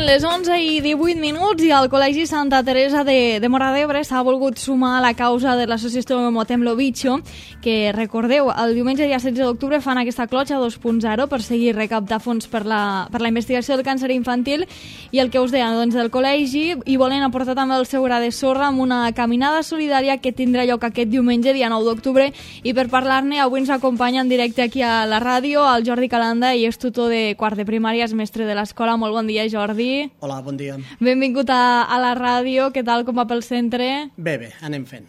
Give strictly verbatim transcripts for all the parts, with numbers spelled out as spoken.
Són les onze i divuit minuts i el Col·legi Santa Teresa de, de Móra d'Ebre s'ha volgut sumar a la causa de l'associació Motem lo Bicho, que, recordeu, el diumenge dia setze d'octubre fan aquesta clotxa dos punt zero per seguir recaptar fons per la, per la investigació del càncer infantil, i el que us deia, doncs, del col·legi, i volen aportar també el seu gra de sorra amb una caminada solidària que tindrà lloc aquest diumenge dia nou d'octubre, i per parlar-ne avui ens acompanya en directe aquí a la ràdio el Jordi Calanda, i és tutor de quart de primària, és mestre de l'escola. Molt bon dia, Jordi. Hola, bon dia. Benvingut a, a la ràdio. Què tal, com va pel centre? Bé, bé, anem fent.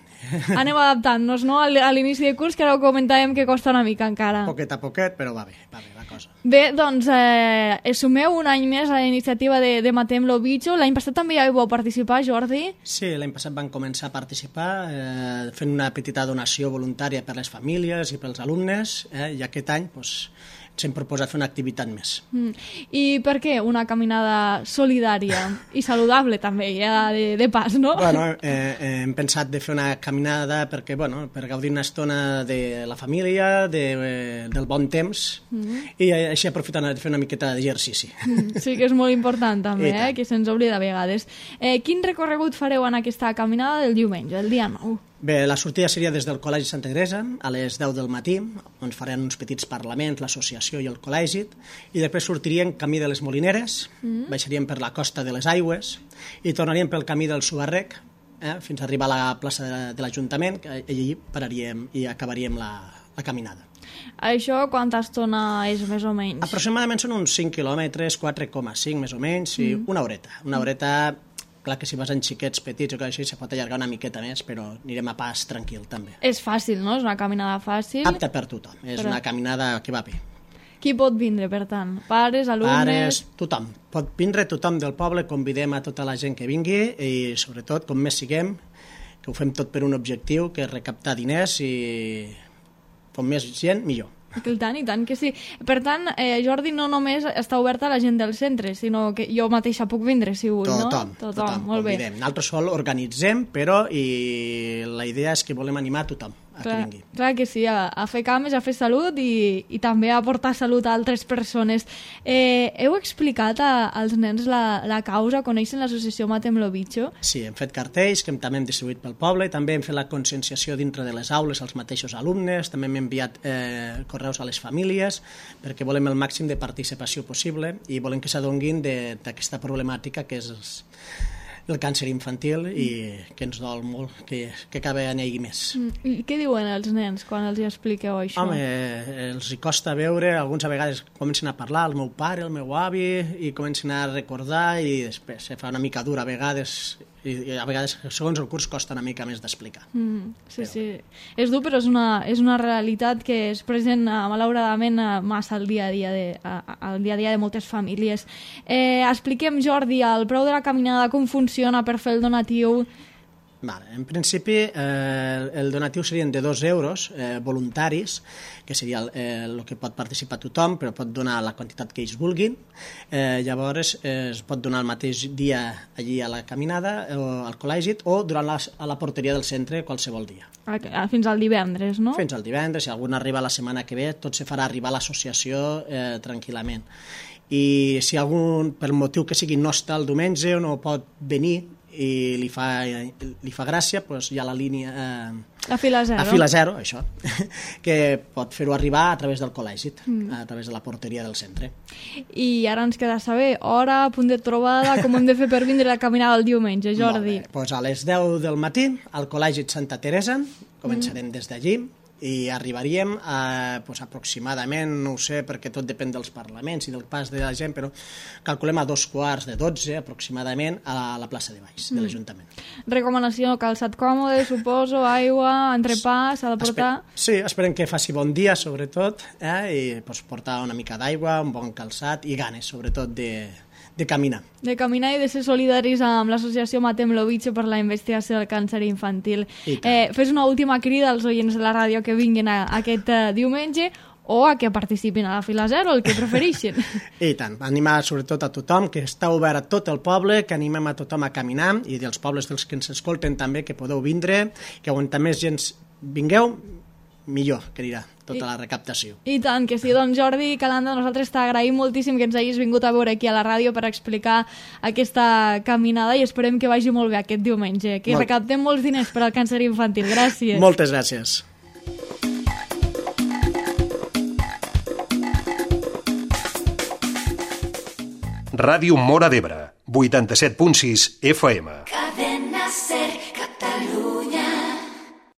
Anem adaptant-nos, no?, a l'inici de curs, que ara ho comentàvem que costa una mica encara. Poquet a poquet, però va bé, va bé la cosa. Bé, doncs, eh, sumeu un any més a la iniciativa de, de Matem lo Bicho. L'any passat també ja hi vau participar, Jordi? Sí, l'any passat vam començar a participar eh, fent una petita donació voluntària per les famílies i pels alumnes, eh, i aquest any doncs, ens hem proposat fer una activitat més. Mm. I per què una caminada solidària i saludable també, ja de, de pas, no? Bueno, eh, eh, hem pensat de fer una caminada perquè, bueno, per gaudir una estona de la família, de, eh, del bon temps, mm. i així aprofitant de fer una miqueta d'exercici. Mm. Sí, que és molt important també, eh, que se'ns oblida a vegades. Eh, quin recorregut fareu en aquesta caminada del diumenge, el dia nou? Bé, la sortida seria des del Col·legi Santa Teresa a les deu del matí, on faran uns petits parlaments, l'associació i el col·legi, i després sortiríem camí de les Molineres, mm. baixaríem per la costa de les Aigües i tornaríem pel camí del Subarrec, eh, fins a arribar a la plaça de, de l'Ajuntament, que allí pararíem i acabaríem la, la caminada. Això quanta estona és, més o menys? Aproximadament són uns cinc quilòmetres, quatre coma cinc més o menys, i mm. una horeta. Una horeta... Clar que si vas en xiquets petits o que així se pot allargar una miqueta més, però anirem a pas tranquil també. És fàcil, no? És una caminada fàcil. Apta per tothom, és però... una caminada que va bé. Qui pot vindre, per tant? Pares, alumnes... Pares, tothom. Pot vindre tothom del poble, convidem a tota la gent que vingui i sobretot, com més siguem, que ho fem tot per un objectiu, que és recaptar diners, i com més gent, millor. I tant, i tant que sí. Per tant, eh, Jordi, no només està oberta a la gent del centre, sinó que jo mateixa puc vindre, si vull, no? Tothom, tothom, tothom molt convidem. Bé. Nosaltres sol organitzem, però i la idea és que volem animar a tothom a clar, que vingui. Clar que sí, a, a fer cames, a fer salut i, i també a aportar salut a altres persones. Eh, heu explicat a, als nens la, la causa? Coneixen l'associació Matem lo Bicho? Sí, hem fet cartells que també hem distribuït pel poble, també hem fet la conscienciació dintre de les aules als mateixos alumnes, també hem enviat eh, correus a les famílies, perquè volem el màxim de participació possible i volem que s'adonguin d'aquesta problemàtica que és el càncer infantil i que ens dol molt, que, que cada any hi hagi més. I què diuen els nens quan els expliqueu això? Home, els hi costa veure, alguns a vegades comencen a parlar, el meu pare, el meu avi, i comencen a recordar i després se fa una mica dura a vegades, i a vegades segons el curs costa una mica més d'explicar. Mm, sí, però... sí. És dur, però és una, és una realitat que és present, malauradament, massa al dia a dia de, al dia a dia de moltes famílies. Eh, expliquem, Jordi, el preu de la caminada, com funciona per fer el donatiu? Vale. En principi, eh, el donatiu serien de dos euros eh, voluntaris, que seria el, eh, el que pot participar tothom, però pot donar la quantitat que ells vulguin. Eh, llavors, eh, es pot donar el mateix dia allí a la caminada, o al col·legi, o durant la, a la porteria del centre qualsevol dia. Fins al divendres, no? Fins al divendres, si algun arriba la setmana que ve, tot se farà arribar a l'associació eh, tranquil·lament. I si algun, per motiu que sigui, no està el diumenge o no pot venir, i li fa, li fa gràcia, doncs hi ha la línia eh, a fila zero, a fila zero això, que pot fer-ho arribar a través del col·legi, mm. a través de la porteria del centre. I ara ens queda saber hora, punt de trobada, com hem de fer per vindre a caminar el diumenge, Jordi? Molt bé, doncs a les deu del matí al Col·legi Santa Teresa, començarem mm. des d'allí, i arribaríem a, doncs, aproximadament, no ho sé, perquè tot depèn dels parlaments i del pas de la gent, però calculem a dos quarts de dotze, aproximadament, a la plaça de Baix, mm. de l'Ajuntament. Recomanació, calçat còmode, suposo, aigua, entrepà, s'ha de portar... Esper sí, esperem que faci bon dia, sobretot, eh? I doncs, portar una mica d'aigua, un bon calçat i ganes, sobretot, de... de caminar. De caminar i de ser solidaris amb l'associació Matem lo Bicho per la investigació del càncer infantil. Eh, fes una última crida als oients de la ràdio que vinguin a, a aquest uh, diumenge o a que participin a la fila zero, el que prefereixin. I tant, animar sobretot a tothom, que està obert a tot el poble, que animem a tothom a caminar, i dels pobles dels que ens escolten també, que podeu vindre, que on més gent vingueu, millor que anirà tota I, la recaptació. I tant, que sí. Doncs Jordi Calanda, nosaltres t'agraïm moltíssim que ens hagis vingut a veure aquí a la ràdio per explicar aquesta caminada i esperem que vagi molt bé aquest diumenge, que Molt... recaptem molts diners per al càncer infantil. Gràcies. Moltes gràcies. Ràdio Móra d'Ebre, vuitanta-set punt sis F M. Cadena Ser.